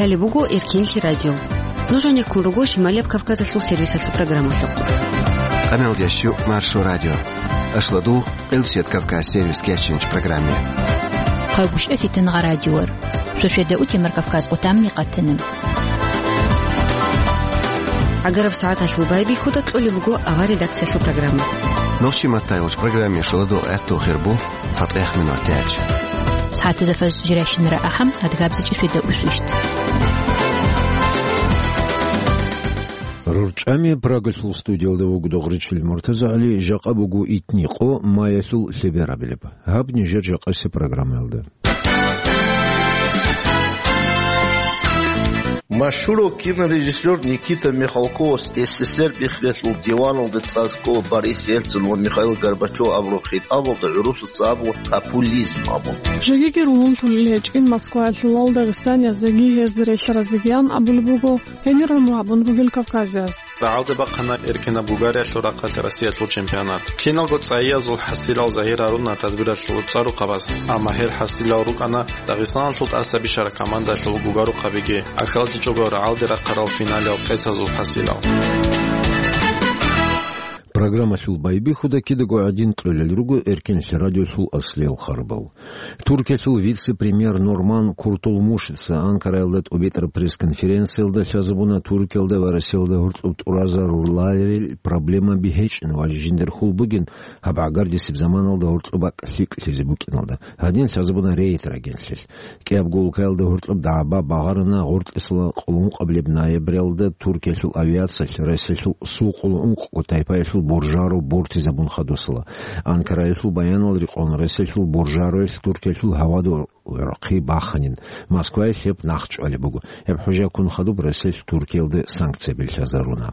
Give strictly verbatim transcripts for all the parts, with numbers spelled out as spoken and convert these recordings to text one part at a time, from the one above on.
Лъалеб буго Эркенлъи радио. Нуж гьанеккун руго Шималияб Кавказалъул сервисалъул программалъухъ. Къаналдящу Маршо радио. Ашладу Къилсият Кавказ сервис кечинч программе. Хъагушев Фитангъа радиор. Шошеда утемар Кавказ отамни къатанам. Агараб сагӀаталъул байбихьуда кьолеб буго авар редакциялъул программа. Нохчи маттайулч программе шоладо гӀатту хирбу. ЦатӀех минутач. СагӀатазда фажр жирайщинара ахӀам, адгабзичӀи шведа усвищт. РурчӀами Прагалъул студиялда вуго Догъричил МуртазагӀали, жакъа буго итни къо маялъул лъеберабилеб. Гьаб нижер жакъасе программаялда. Машгьурав кинорежиссер Никита Михалковас СССР биххиялъул диваналда цӀар ккола Борис Ельцин ва Михаил Горбачев абураб хитӀабалда гӀурусаца абула популизм абун. Жегиги ругьунлъулел гьечӀин Москваялъулал дагъистанияздаги гьезда релълъаразегиян абулеб буго гьенир гӀумру гьабун ругел кавказияз. РагӀалде бахъана эркенаб Бугариялъул рахъалъ Россиялъул чемпионат. Киналго цӀайязул хӀасилал загьир гьаруна тадбиралъул цӀар-рукъабаз, амма гьел хӀасилал рукӀана Дагъистаналъул тӀаса бищараб командалъул гугарухъабиги, ахиралъичӀого рагӀалде рахъарал финалиял къецазул хӀасилал. Программалъул байбихьуда кидаго гӀадин кьолел руго Эркенлъи радиолъул аслиял харбал. Туркиялъул вице-премьер Нурман Куртулмушица Анкараялда тӀубитӀараб пресс-конференциялда лъазабуна Туркиялда ва Россиялда гьоркьоб тӀуразаруларел проблемаби гьечӀин ва жиндир хьул бугин гьаб гӀагардисеб заманалда гьоркьоб бакӀ лъикӀлъизе букӀиналда. Гьадин лъазабуна рейд рагеллъи. КӀиябго улкаялда гьоркьоб дагӀба багъарана гъоркьисала къулункъабилеб ноябралда Туркиялъул авиациялъ Россиялъул су къулункъго тайпаялъул буржаро бортизабун хадусала. Анкараялъул баянал рекъон Россиялъул буржароялъ Туркиялъул гьавада гӀорхъи баханин. Москваялъ гьеб нахъ чӀвалеб буго. Гьеб хӀужаялъ ккун хадуб Россиялъ Туркиялде санкцияби лъазаруна.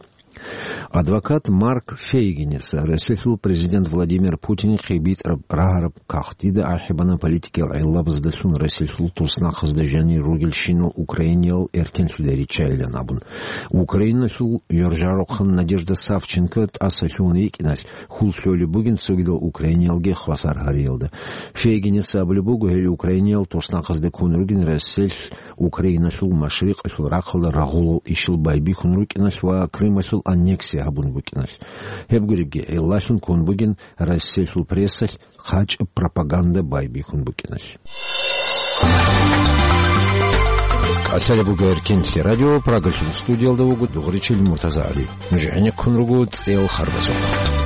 Адвокат Марк Фейгинец Россиялъул президент Владимир Путинихъе битӀараб рагьараб кагътида ахӀи бана политикиял гӀиллабаздалъун Россиялъул туснахъазда жанир ругелщинал Украиниял эркенлъулел риччайилан абун. Украиналъул ёржарухъан Надежда Савченко тӀаса лъугьун йикӀиналъ, хьул лъолеб бугин цогидал украиниялги хвасар гьариялда. Фейгинец абулеб буго, гьел украиниял туснахъазда ккун ругин Россиялъ Украиналъул машрикъалъул рахъалда рагъулал ишал байбихьун рукӀиналъ ва Крымалъул аннексия гьабун букӀиналъ. Гьеб гуребги гӀиллалъун ккун бугин Россиялъул прессалъ хъачӀаб пропаганда байбихьун букӀиналъ. Лъалеб буго Эркенлъи радио, Прагалъул студиялда вуго Дугъричил МуртазагӀали. Нуж гӀенеккун руго цӀел харбазухъ.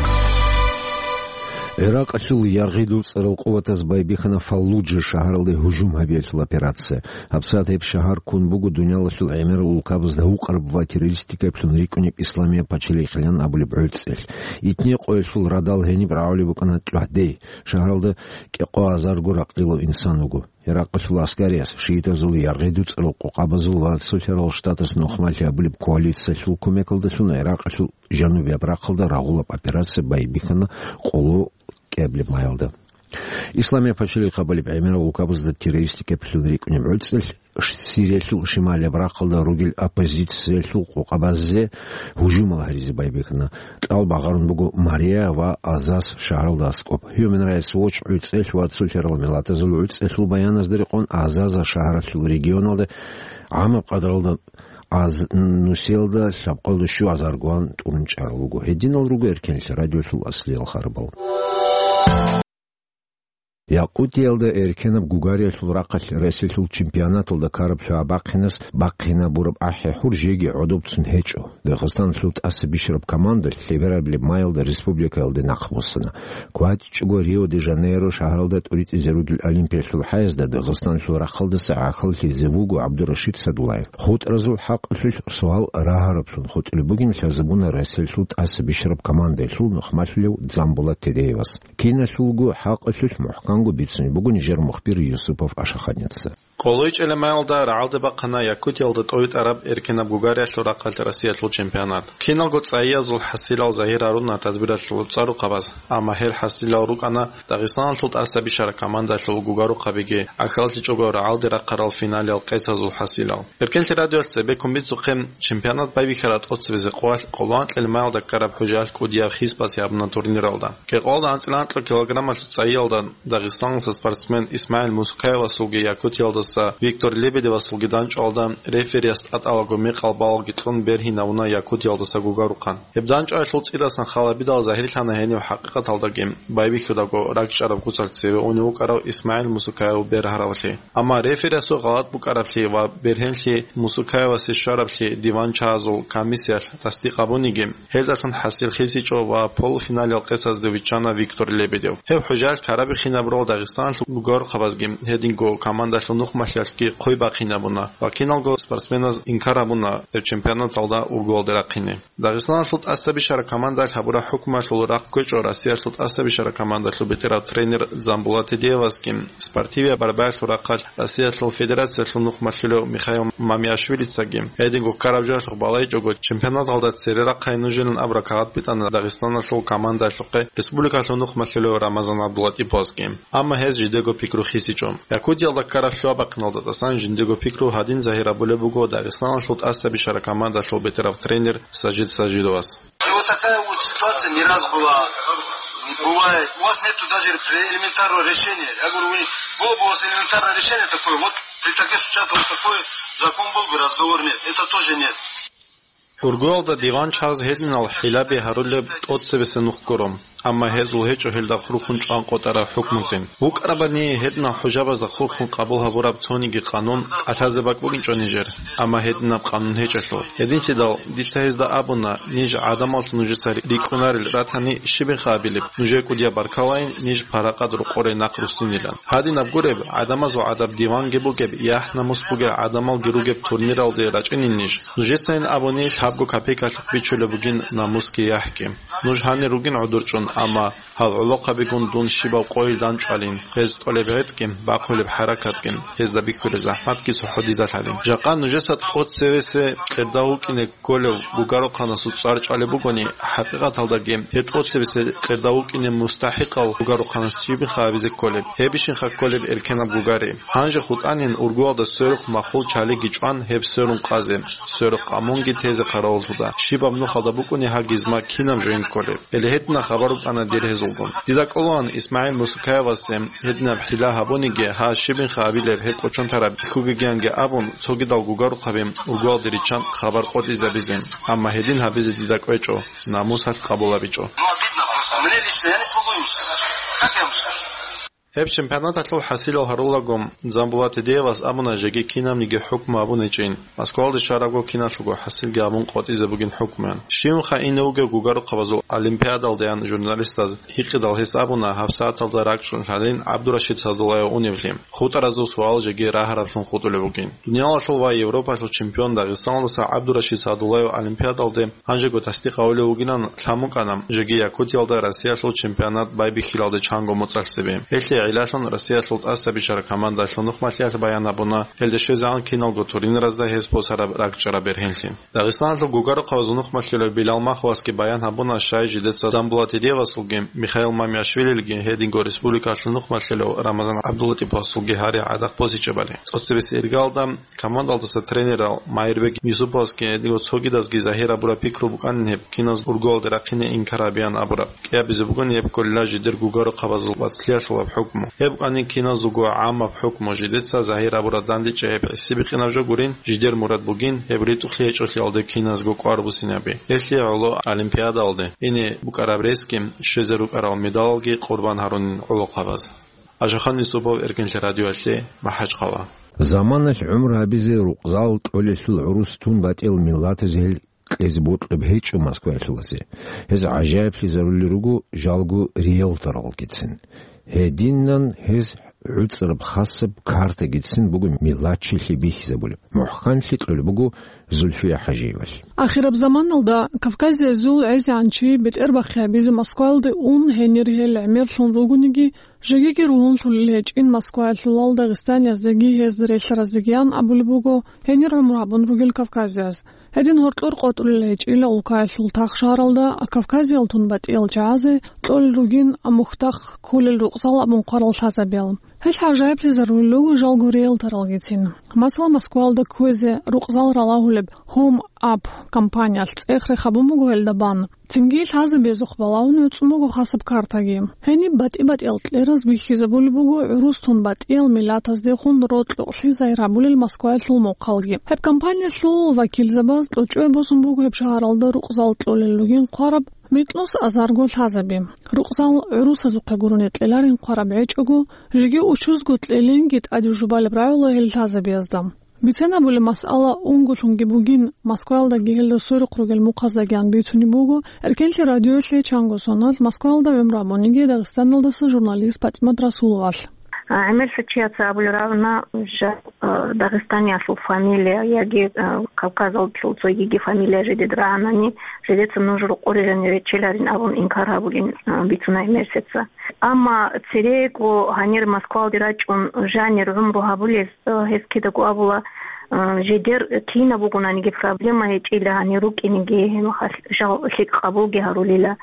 ГӀиракъалъул яргъи дуцӀарал къуватаз байбихьана Фаллуджа шагьаралде гьужум гьабиялъул операция. ГьабсагӀат гьеб шагьар ккун буго дуниялалъул гӀемерал улкабазда гьукъараб ва террористикаблъун рикӀкӀунеб Исламияб пачалихъилан абулеб гӀуцӀелъ. Итни къоялъул радал гьениб рагӀулеб букӀана тӀухьдей. Шагьаралда кӀикъоазарго ракьилав инсан вуго. Иракъалъул аскариялъ, шиитазул яргъи дуцӀарал къокъабазул ва Цолъарал Штатас нухмалъи абулеб коалициялъул кумекалдалъун Иракъалъул жанубияб рахъалда рагъулаб операция байбихьана къоло кӀиабилеб майалда. Исламияб пачалихъ абулеб гӀемерал улкабазда террористикаблъун рикӀкӀунеб гӀуцӀелъ Сириялъул шималияб рахъалда ругел оппозициялъул къокъабазде гьужумал гьаризе байбихьана. Кьалбагъарун буго Мария ва Азаз шагьаралда аскӀоб. Human Rights Watch гӀуцӀелъ ва Цолъарал миллатазул гӀуцӀелъул баяназда рекъон Азаза шагьаралъул регионалда гӀамаб къадралда аз-, нусиялда лъабкъалда щуазаргоан тӀурун чӀарал руго. Гьединал руго Эркенлъи радиолъул аслиял харбал. Якъутиялда эркенаб гугариялъул рахъалъ Россиялъул чемпионаталда ккараб лъугӀа бахъинас бахъинабураб ахӀи-хӀур жеги гӀодобцун гьечӀо. Дагъистаналъул тӀаса бищараб команда лъеберабилеб майалда республикаялде нахъбуссана. КватӀичӀого Рио-де-Жанейро шагьаралда тӀуритӀизе ругел Олимпиялъул хӀаязда Дагъистаналъул рахъалдаса гӀахьаллъизе вуго ГӀабдурашид Садулаев. ХутӀразул хӀакъалъулъ суал рагьараблъун хутӀулеб бугин лъазабуна Россиялъул тӀаса бищараб командаялъул нухмалъулев Дзамбулат Тедеевас. Киналъулго хӀакъалъулъ мухӀканго бицунеб буго нижер мухбир Юсупов Ашаханица. Къоло ичӀелемаялда рагӀалде бахъана Якутиялда тӀовитӀараб эркенаб гугариялъул рахъалъ Россиялъул чемпионат. Киналго цӀайязул хӀасилал загьир гьаруна тадбиралъул цӀарухъабаз, амма гьел хӀасилал рукӀана Дагъистаналъул тӀаса бищараб командалъул гугарухъабиги, гӀахьаллъичӀого рагӀалде рахъарал финалиял къецазул хӀасилал. Эркенлъи радиоялъ цебеккун бицухъе, чемпионат байбихьараб тӀоцебизе къоялъ къоло анкьил маялда ккараб хӀужаялъ кӀудияб хьисапалъ гьабуна турниралда. КӀикъоялда анцӀила анкьа килограммалъул цӀайиялда Дагъистаналъа спортсмен ИсмагӀил Мусукаевасулги Якутиялда Виктор Лебедевасулги данчӀвалда рефериас тӀатӀалаго мекъал балалги кьун бергьинавуна Якутиялдаса гугарухъан. Гьеб данчӀваялъул цӀидасан халабидал загьирлъана гьенив хӀакъикъаталдаги байбихьудаго ракӀчӀараб куцалъ цеве унев вукӀарав ИсмагӀил Мусукаев бергьаравлъи. Амма рефериасул гъалатӀ букӀараблъи ва бергьенлъи Мусукаевасе щвараблъи диванчагьазул комиссиялъ тасдикъ гьабуниги, гьелдалъун хӀасил хисичӀо ва полуфиналил къецазде виччана Виктор Лебедев. Гьеб хӀужаялъ ккарабихьинабурал Дагъистаналъул гугарухъабазги гьединго командалъул нухмалъиялъги хъвей бахъинабуна ва киналго спортсменаз инкар гьабуна гьеб чемпионаталда ургуялде рахъине. Дагъистаналъул тӀасабищараб командаялъ гьабураб хӀукмуялъул рахъ кквечӀо Россиялъул тӀасабищараб командалъул бетӀерав тренер Дзамбулат Тедеевасги, спортивияб борьбаялъул рахъалъ Россиялъул Федерациялъул нухмалъулев Михаил Мамиашвилицаги. Гьединго ккараб жоялъухъ балайчӀого, чемпионаталда цере рахъай нужилан абураб кагъат битӀана Дагъистаналъул командаялъухъе республикалъул нухмалъулев Рамазан ГӀабдулатӀиповасги. Амма гьез жидего пикру хисичӀо. Якутиялда ккараб лъугьа-бахъиналда тӀасан жиндего пикру гьадин загьир гьабулеб буго Дагъистаналъул тӀасабищараб командалъул бетӀерав тренер Сажид Сажидовас. И вот такая вот ситуация не раз была, не бывает. У вас нету даже элементарного решения. Я говорю, вы не, было бы у вас элементарное решение такое, вот при таких случаях вот такой закон был бы, разговор нет. Это тоже нет. Ургуялда диванчагьаз гьединал хӀилаби гьарулеб тӀоцебесеб нух гуро, амма гьезул гьечӀо гьелда хурхун чӀван къотӀараб хӀукмуцин. БукӀарабани гьединал хӀужабазда хурхун къабул гьабураб цониги къанун кӀалъазе бакӀ бугинчӀо нижер, амма гьединаб къанун гьечӀелъул. Гьединлъидал дица гьезда абуна, ниж гӀадамаллъун нужеца рикӀкӀунарел ратани щибинха абилеб, нужее кӀудияб баркалайин, ниж паракъат рокъоре нахъ руссинилан. Гьадинаб гуреб, гӀадамазул гӀадаб диванги бугеб, яхӀ-намус бугел гӀадамалги ругеб турниралде рачӀинин ниж. Нужецайин абуни лъабго копейкалъухъ бичулеб бугин намусги яхӀги. Нуж гьанир ругин гӀодорчӀун, амма гьал гӀолохъабигун дун щибаб къойил данчӀвалин, гьез кьолеб гӀетӀги, бахъулеб хӀаракатги, гьезда бихьулеб захӀматги цохӀо дида лъалин. Жакъа нужеца тӀоцевесе къерда вукӀине кколев гугарухъанасул цӀар чӀвалеб бугони, хӀакъикъаталдаги гьеб тӀоцебесе къерда вукӀине мустахӀикъав гугарухъанас щибинха абизе кколеб, гьебищинха кколеб эркенаб гугари. Гьанже хутӀанин ургуялда сверухъ махул чалиги чӀван гьеб сверун къазе, сверухъ къамунги тезе хъаравуллъуда. Щибаб нухалда букӀуни гьагизма кинаб жоин кколеб? Гьеле гьедина хабар букӀана дир гьезулгун. Дида кӀолаан ИсмагӀил Мусукаевасе гьединаб хӀила гьабуниги, гьа щибинха абилеб гьеб кӀочон тараб бихьугегианги абун, цогидал гугарухъаби ургуялде риччан хабар къотӀизабизе. Амма гьедин гьабизе дида кӀвечӀо, намусалъ къабулабичӀо. Ну, обидно просто. Мне лично, я не смогу ему сказать. Как я ему скажу? Гьеб чемпионаталъул хӀасилал гьарулаго, Дзамбулат Тедеевас абуна жеги кинабниги хӀукму гьабун гьечӀин. Москвалде щварабго киналъулго хӀасилги гьабун къотӀизе бугин хӀукмуян. Щивнха ине вугев гугарухъабазул олимпиадалдаян журналистаз гьикъидал гьес абуна гьабсагӀаталда ракӀчӀун лъалин ГӀабдурашид Садуллаев уневлъи. ХутӀаразул суал жеги рагьараблъун хутӀулеб бугин. Дуниялалъул ва Европалъул чемпион Дагъистаналдаса ГӀабдурашид Садуллаев олимпиадалде гьанжего тасдикъ гьавулев вугилан лъан букӀана, жеги Якутиялда Россиялъул чемпионат байбихьилалде чанго моцӀалъ цебе. Гьелъие гӀиллалъун Россиялъул тӀасабищараб командалъул нухмалъиялъ баян гьабуна, гьелде щвезегӀан киналго турниразда гьес босараб ракӀчӀараб бергьенлъи. Дагъистаналъул гугарухъабазул нухмалъулев Билал Маховасги баян гьабуна, щай жидеца Дзамбулат Тедеевасулги, Михаил Мамиашвилилги, гьединго республикалъул нухмалъулев Рамазан ГӀабдулатӀиповасулги гьаригӀадахъ босичӀебали. ЦӀоцебесеб иргалда командалдаса тренерал Майирбек Юсуповасги гьединго цогидазги загьир гьабураб пикру букӀанин гьеб киназ ургуялде рахъине инкар гьабеян абураб. КӀиабизе бугони гьеб кколила жидер гугарухъабазул вацлъиялъулаб хӀукму. Гьеб букӀанин киназулго гӀаммаб хӀукму, жидеца загьир гьабураб дандечӀей гьеб гӀисибикъинаб жо гурин, жидер мурад бугин гьеб ритӀухълъи гьечӀолъиялде киназго кӀвар бусинаби. Гьелъие гӀоло олимпиадалде ине букӀараб ресги, щвезе рукӀарал медалалги къурбан гьарунин гӀолохъабаз. Ашахан Юсупов, Эркинлъи радиоялъе, МахӀачхъала. Заманалъ гӀумру гьабизе рукъзал кьолелъул гӀурус тун батӀиял миллатаз гьел кьезе бокьулеб гьечӀо Москваялъулазе. Гьез гӀажаиблъизарулел руго жалго риэлторалгицин. Гьединан гьез гӀуцӀраб хасаб картагицин буго миллатчилъи бихьизабулеб. МухӀканлъи кьолеб буго Зульфия ХӀажиевалъ. Ахираб заманалда Кавказиязул гӀезегӀан чи бетӀербахъи гьабизе Москваялде ун, гьенир гьел гӀемерлъун ругониги, жегиги ругьунлъулел гьечӀин москваялъулал дагъистанияздаги гьезда релълъараздагиян абулеб буго гьенир гӀумру гьабун ругел кавказияз. Гьедин гьоркьор къотӀулел гьечӀила улкаялъул тахшаралда Кавказиял тун батӀиял чагӀазе кьолел ругин мухьдахъ кколел рукъзал абун хъварал лъазабиял. Гьел гӀажаиблъизарулел руго жалго риэлторалгицин. Масала, Москваялда кквезе рукъзал ралагьулеб Home App компаниялъ цӀех-рех гьабун буго гьелда бан. Цинги лъазабиязухъ балагьун гӀуцӀун буго хасаб картаги. Гьениб батӀи-батӀиял кьераз бихьизабулеб буго гӀурус тун батӀиял миллатаздехун рокьукълъи загьир гьабулел Москваялъул мухъалги. Гьеб компаниялъул вакилзабаз кьучӀуе босун буго гьеб шагьаралда рукъзал кьолел ругин хъвараб микьнус азарго лъазаби. Рукъзал гӀурусазухъе гурони кьеларин хъвараб гьечӀого, жеги учузго кьелинги тӀаде жубалеб рагӀула гьел лъазабиязда. Бицен абулеб масъала унголъунги бугин, Москваялдаги гьелда сверухъ ругел мухъаздагиян бицунеб буго Эркенлъи радиоялъе чанго соналъ Москваялда гӀумру гьабуниги Дагъистаналдаса журналист ПатӀимат Расуловалъ. А, гӀемерлъи чияца абулеб рагӀуна, жа-, а, Дагъистаниялъул фамилия яги, а, Кавказалъул цогиги фамилия жидед рагӀанани, жидеца нуж рокъоре жанир речеларин абун инкар гьабулин, а, бицуна гӀемерлъица. Амма церего гьанир Москвалде рачӀун жанир гӀумру гьабулез, а, гьез кидаго абула, а, жидер кинаб бугонаниги проблема гьечӀила гьанир рукӀинеги, гьеб хал-, жал лъикӀ къабулги гьарулила.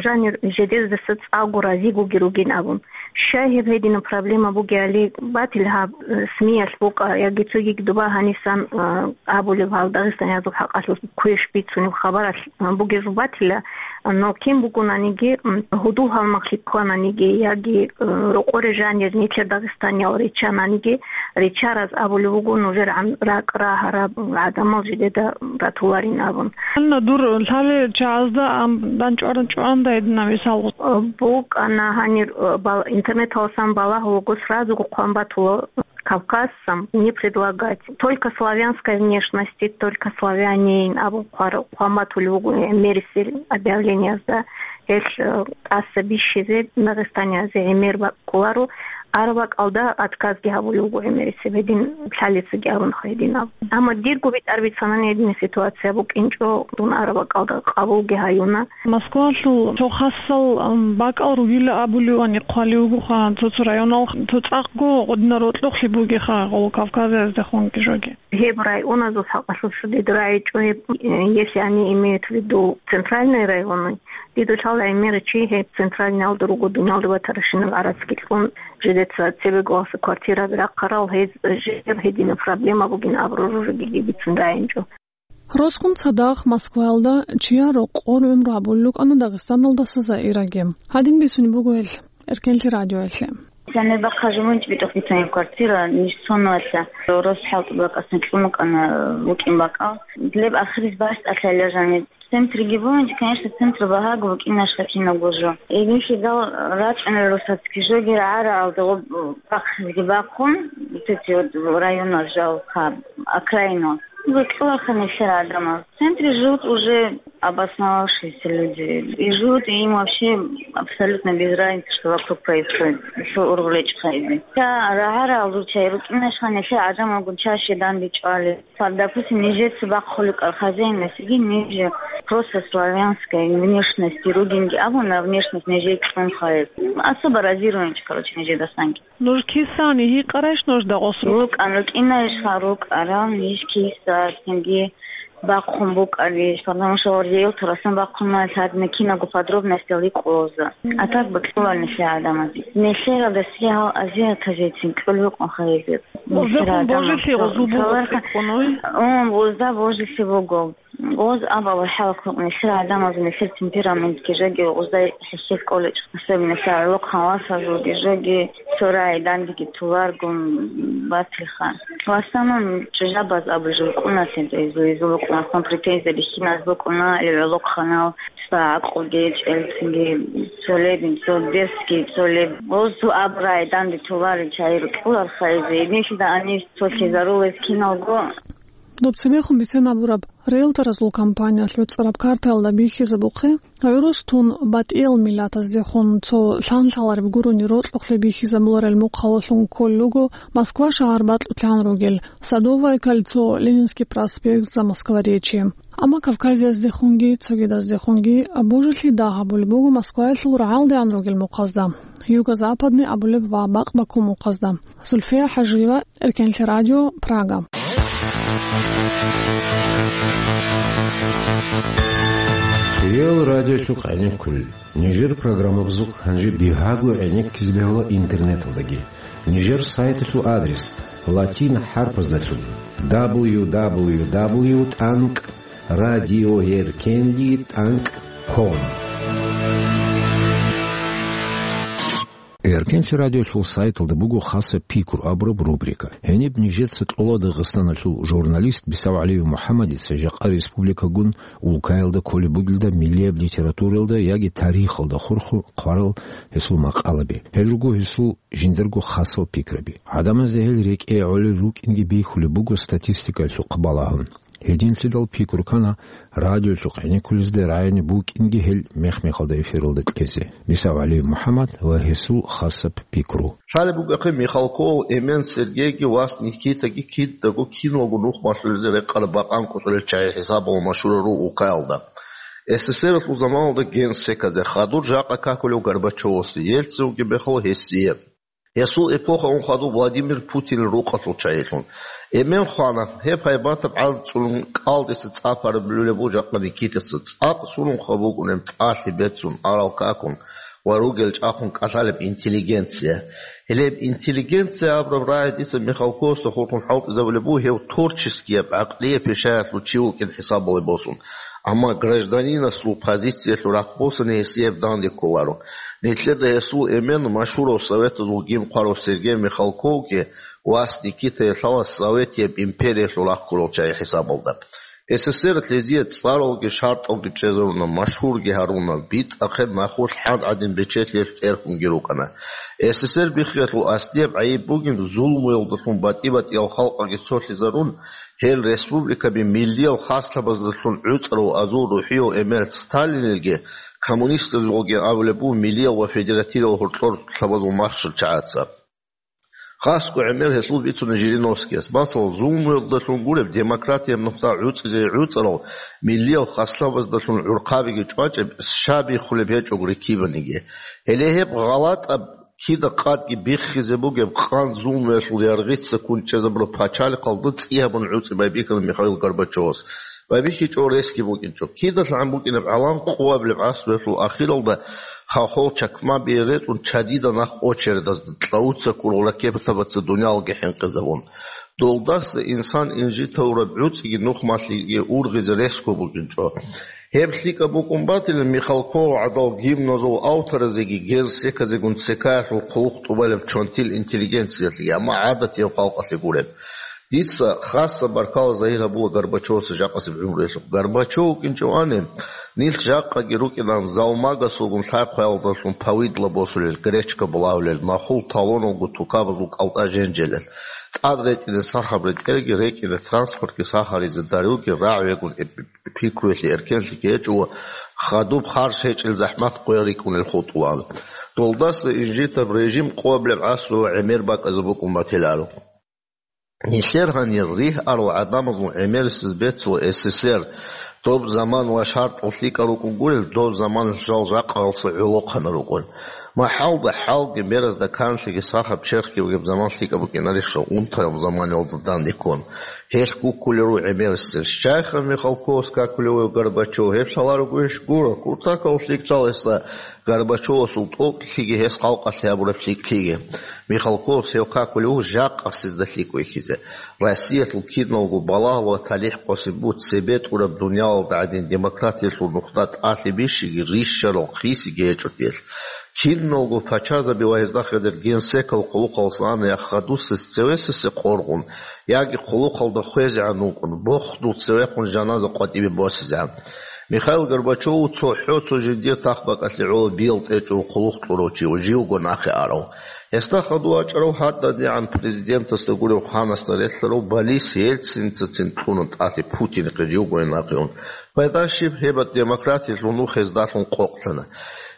Жанир жидездаса цӀакъго разигоги ругин абун. Щай гьеб гьединаб проблема бугеали, батил гьаб, э, СМИялъ букӀа, яги цогиги доба гьанисан, э, абулеб гьал дагъистаниязул хӀакъалъулъ квеш бицунеб хабаралъ, э, бугеб батила, но кин бугонаниги, м, гьудул-гьалмагълъи ккананиги, яги, э, рокъоре жанир нилъер дагъистаниял риччананиги, риччараз абулеб буго нужер гӀан-, ракӀ рагьараб гӀадамал жидеда ратуларин абун. Анна, дур лъалел чагӀазда ам данчӀваран чӀваранда гьединаб мисал гъу- БукӀана гьанир, э, бал-, интернеталасан балагьулаго сразуго хъван батула Кавказцам не предлагать. Только славянской внешности, только славянин абун хъвар-, хъван батулев вуго гӀемерисел объявлениязда. Гьелъ, э, тӀаса бищизе Дагъистаниязе гӀемер бакӀуларо, араб бакӀалда отказги гьабулев вуго гӀемерисеб гьедин лъалецаги абун хайдинаб. Амма дирго битӀар бицанани гьединаб ситуация букӀинчӀо, дун араб бакӀалда къабулги гьаюна. Москвалъул цо хасал, ам, бакӀал ругила абулевани хъвалев вугоха, цо-цо районал, цо цӀакъго гъодинал рокьукълъи бугеха гъол Кавказаздехунги жоги. Гьеб районазул хӀакъалъулъ дид рагӀичӀо гьеб, э, если они имеют в виду центральные районы, дидулъал гӀемер чи гьеб центральниялда руго, дуниялда батарашинаб гӀарацги кьун, жидеца цебеголаса квартираби рахъарал, гьез жер гьединаб проблема бугин абураб жо жеги бицун рагӀинчӀо. Росгун цадахъ Москваялда чияр рокъор гӀумру гьабулел рукӀана Дагъистаналдаса Заираги. Гьадин бицунеб буго гьел Эркенлъи радиоялъе. Сенебахъа жумунч битӀухъ бицунеб квартира, ниж цонулъа рос хӀалтӀи бакӀасан кьун букӀана, букӀин бакӀал. Леб ахирис бащтӀалъала жаниб. Центриги бугьанчи, конечно, центр багьаго букӀинаш хӀакинаб гуржу. Эбихьидал рачӀунел росацги жоги рагӀараалда гъоб бахъизги бахъун, вот эти вот районал жал хъаб, окраинал. Бекьулаха нилъер гӀадамал. В центре живут уже обосновавшиеся люди. И живут, и им вообще абсолютно без разницы, что вокруг происходит. Что ургъулечӀ хайди. Ца рагӀараал ручай рукӀинашха нилъер гӀадамалгун чаще данде чӀвали. Допустим, нижеца бахъуликӀал хозяинасеги, ниже просто славянская внешность ругинги абуна, внешность нижее кьун хайи. Особо разируемчи, короче, нижедасанги. Нуж кисани гьикъарайш нужда гъос рукъ? РукӀан, рукӀинайишха рукӀарал, ниж киса, цинги бахъун букӀариш, потому что гьордиял турасан бахъуна, лъадна кинаго подробностял рикӀкӀула. А так бакьулал нилъер гӀадамазе. Нилъералда сигьал азиатазецин кьул букӀун хайизе. Уздехун божелъи гъозул буго цӀикӀкӀун, ой? Ун, узда божелъи буго. Гъоз абала хӀалкукъ нилъер гӀадамазул нилъер темпераментги жоги, узда хӀехьел кӀолечӀ, особенно нилъер гӀолохъан васазулги жоги, цо рагӀи дандеги туларгун батиха. В основном чӀужабаз абулеб букӀуна, лъенцӀ изу-изу букӀуна, сон претензия бихьиназ букӀуна, гӀолохъанал, цо гӀакълуги, чӀелцинги, цо лебин, цо дерсги, цо леб. Гъоз цо абурай данде туларел чагӀи рукӀуларха изе, гьединлъидал гьаниб цо лъезарулез киналго. Доб цебехун бицен абураб риэлторазул компаниялъ гӀуцӀараб картаялда бихьизабухъе, гӀурус тун батӀиял миллатаздехун цо лъан-лъалареб гурони рокьукълъи бихьизабуларел мухъалалъун кколел руго Москва шагьар бакьулъан ругел, Садовое кольцо, Ленинский проспект, Замоскворечье. Амма Кавказияздехунги цогидаздехунги божелъи дагь гьабулеб буго Москваялъул рагӀалдегӀан ругел мухъазда, юго-западный абулеб ва бакъ баккун мухъазда. Зульфия ХӀажиева, Эркенлъи радио, Прага. Ил радиолъухъ гӀенеккулел. Нижер программабазухъ гьанже бигьаго гӀенеккизе бегьула интернеталдаги. Нижер сайталъул адрес: латин хӀарпаздалъун: дабл ю дабл ю дабл ю тӀанкӀ радиоеркенлъи тӀанкӀ ком. Эркенлъи радиолъул сайталда буго хасаб пикру абураб рубрика. Гьениб нижеца кьола Дагъистаналъул журналист БицавгӀалиев МухӀаммадица жакъа республикагун улкаялда кколеб бугелда миллияб литературалда яги тарихалда хурхун хъварал гьесул макъалаби. Гьел руго гьесул жиндирго хасал пикраби. ГӀадамазда гьел рекӀее гӀолел рукӀинги бихьулеб буго статистикаялъухъ балагьун. Гьединлъидал пикру ккана радиолъухъ гӀенеккулезда рагӀине букӀинги гьел мех-мехалда эфиралда кьезе. БицавгӀалиев МухӀаммад ва гьесул хасаб пикру. Лъалеб бугехъе, Михалковал Эмен Сергейги вас Никитаги кидаго киналго нух малъулезе рекъараб бакъан кӀутӀулел чагӀи хӀисабалда машгьурал руго улкаялда. СССР-алъул заманалда генсеказе, хадур жакъа какулев Горбачевасе, Ельцинги бехъала гьесие. Гьесул эпохаялъул хадуб Владимир Путинил рукъалъул чагӀилъун. Эмен хвана, гьеб гьайбатаб гӀарцӀцӀулун кӀалдиса цӀа параб лъулеб буго жакъа Никитаца, цӀакъ сунун хаб букӀунеб тӀалъи бецун, арал какун ва ругел чӀахъун кӀалъалеб интеллигенция. Гьелеб интеллигенция абураб рагӀи дица Михалковасда хурхун хӀалтӀизабулеб буго гьев творческияб, гӀакълияб пишаялъул чи вукӀин хӀисабалде босун. Амма гражданинасул позициялъул рахъ босани гьесие данде кколаро. Нилъеда гьесул Эмен машгьурав советазул гимн хъварав Сергей Михалковги вас Никитае лъала Советияб империялъул рахъ ккурал чагӀи хӀисабалда. СССР-алъ гьезие цӀаралги шартӀалги чӀезаруна, машгьурги гьаруна, битӀахъе нахулъ хӀад гӀадин бечелъиялъ тӀерхьунги рукӀана. СССР биххиялъул аслияб гӀайиб бугин зулмуялдалъун батӀи-батӀиял халкъалги цолъизарун, гьел республикаби миллиял хаслъабаздалъун гӀуцӀарав азул рухӀияв Эмер Сталинилги, коммунистазулги абулеб буго миллиял ва федеративал гьоркьор лъабазул махщел чагӀаца. Хасго гӀемер гьелъул бицуна Жириновскияс. Масала, зулмуялдалъун гуреб, демократияб нухда гӀуцӀизе гӀуцӀарал миллиял хаслъабаздалъун гӀурхъабиги чӀвачӀеб, щай биххулеб гьечӀого рикибаниги. Гьеле гьеб гъалатӀаб кида къадги биххизе бугеб къан зулмуялъул яргъица ккун чӀезабураб пачалихъалда цӀи гьабун гӀуцӀи байбихьана Михаил Горбачевас. БайбихьичӀо ресги букӀинчӀо. КидалъагӀан букӀинаб гӀалам къоабилеб гӀасруялъул ахиралда хохол чакмабие ретӀун чадида нах очередазда кьавуца ккурал ракетабаца дуниялги хӀинкъизабун. Долдаса инсан инжитавураб гӀуцӀиги нухмалъиги ургъизе ресго букӀинчӀо. Гьеб лъикӀаб букӀун батилан Михалков гӀадал гимназул авторазеги генсеказегун цекаялъул хъулухъ тӀубалеб чонтил интеллигенциялъе, амма гӀадатияв халкъалъе гуреб. Дица хасаб баркала загьир гьабула Горбачевасе жакъасеб гӀумруялъухъ. Горбачев вукӀинчӀевани, нилъ жакъаги рукӀинан залмагасулгун лъай-хъваялдалъун повидло босулел, гречка булавлел, нахул талоналго тукабазул кӀалтӀа женжелел, тӀад ретӀине сахаб ретӀелги, рекӀине транспортги сахаризе дарулги рагӀвегун эб-, пикруялъе эркенлъиги гьечӀо ва хадуб харж гьечӀел захӀмат къоял рикӀкӀунел хутӀулаан. Долдаса инжитаб режим къоабилеб гӀасрула гӀемер бакӀазе букӀун батиларо. Нилъер гьанир ригь арал гӀадамазул гӀемерисез бецула СССР, доб заман ва шартӀал лъикӀал рукӀун гурел, доб заман жал жакъаялъул гӀолохъанал рукӀун. МахӀалда хӀалги беразда канлъиги сахаб черхги бугеб заман лъикӀаб букӀинарищха унтараб заманалда данде ккун? Гьелъ гуккулел руго гӀемерисел. Щайха Михалковас какулев вугев Горбачев, гьеб лъаларогойищ? Гуро, куртакал лъикӀлъала гьесда Горбачевасул тӀокӀлъиги гьес халкъалъе гьабураб лъикӀлъиги. Михалковас гьев какулев вуго жакъасезда лъикӀ вихьизе. Россиялъул киналго балагьал ва талихӀ къосин буго цебетӀураб дуниялалда гӀадин демократиялъул нухда тӀалъи бищиги, рищарал хисиги гьечӀо телъ. Киналго пачазаби ва гьезда хадуб генсекал хъулухъалдаса ана я хадусес цевесасе къоргъун, яги хъулухъалда хвезегӀан вукӀун, бохдул цевехун жаназа къватӀибе босизегӀан. Михаил Горбачев цохӀо цо жиндир тахбакӀалъе гӀоло биял тӀечӀого хъулухъ кьурав чи, живго нахъе арав. Гьесда хадув вачӀарав гьадинабгӀан президентасда гурев ханасда релълъарав Борис Ельциницацин кьуна тӀалъи Путинихъе живго нахъе ун. Пайда щиб, гьеб демократиялъул нух гьездалъун къокълъана.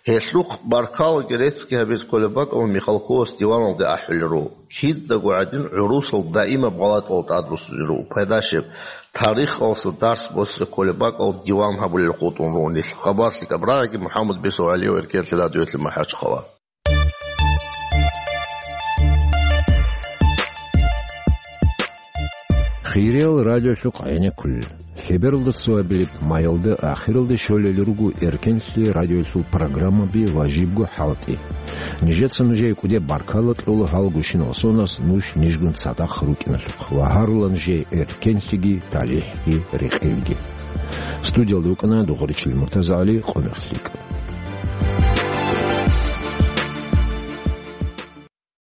Гьелъухъ баркалаги реццги гьабизе кколеб бакӀалда Михалковас диваналде ахӀулел руго. Кидаго гӀадин гӀурусал даимаб гъалатӀал тӀадруссине руго. Пайда щиб, тарихалъа дарс босизе кколеб бакӀалда диван гьабулел хутӀун руго нилъ. Хабар лъикӀаб рагӀиги, МухӀаммад БицавгӀалиев, Эркенлъи радиоялъе, МахӀачхъала. Хириял радиолъухъ гӀенеккулел. Кебералда цоябилеб майялда ахиралде щолел руго эркенлъи радиоялъул программаби ва жибго хӀалтӀи. Нижеца нужее кӀудеб баркала кьола гьал гущинал сонас нуж нижгун цадахъ рукӀиналъухъ ва гьарула нужее эркенлъиги талихӀги рекъелги. Студиялда рукӀана Дугъуричил МуртазагӀали, Къумехлъи.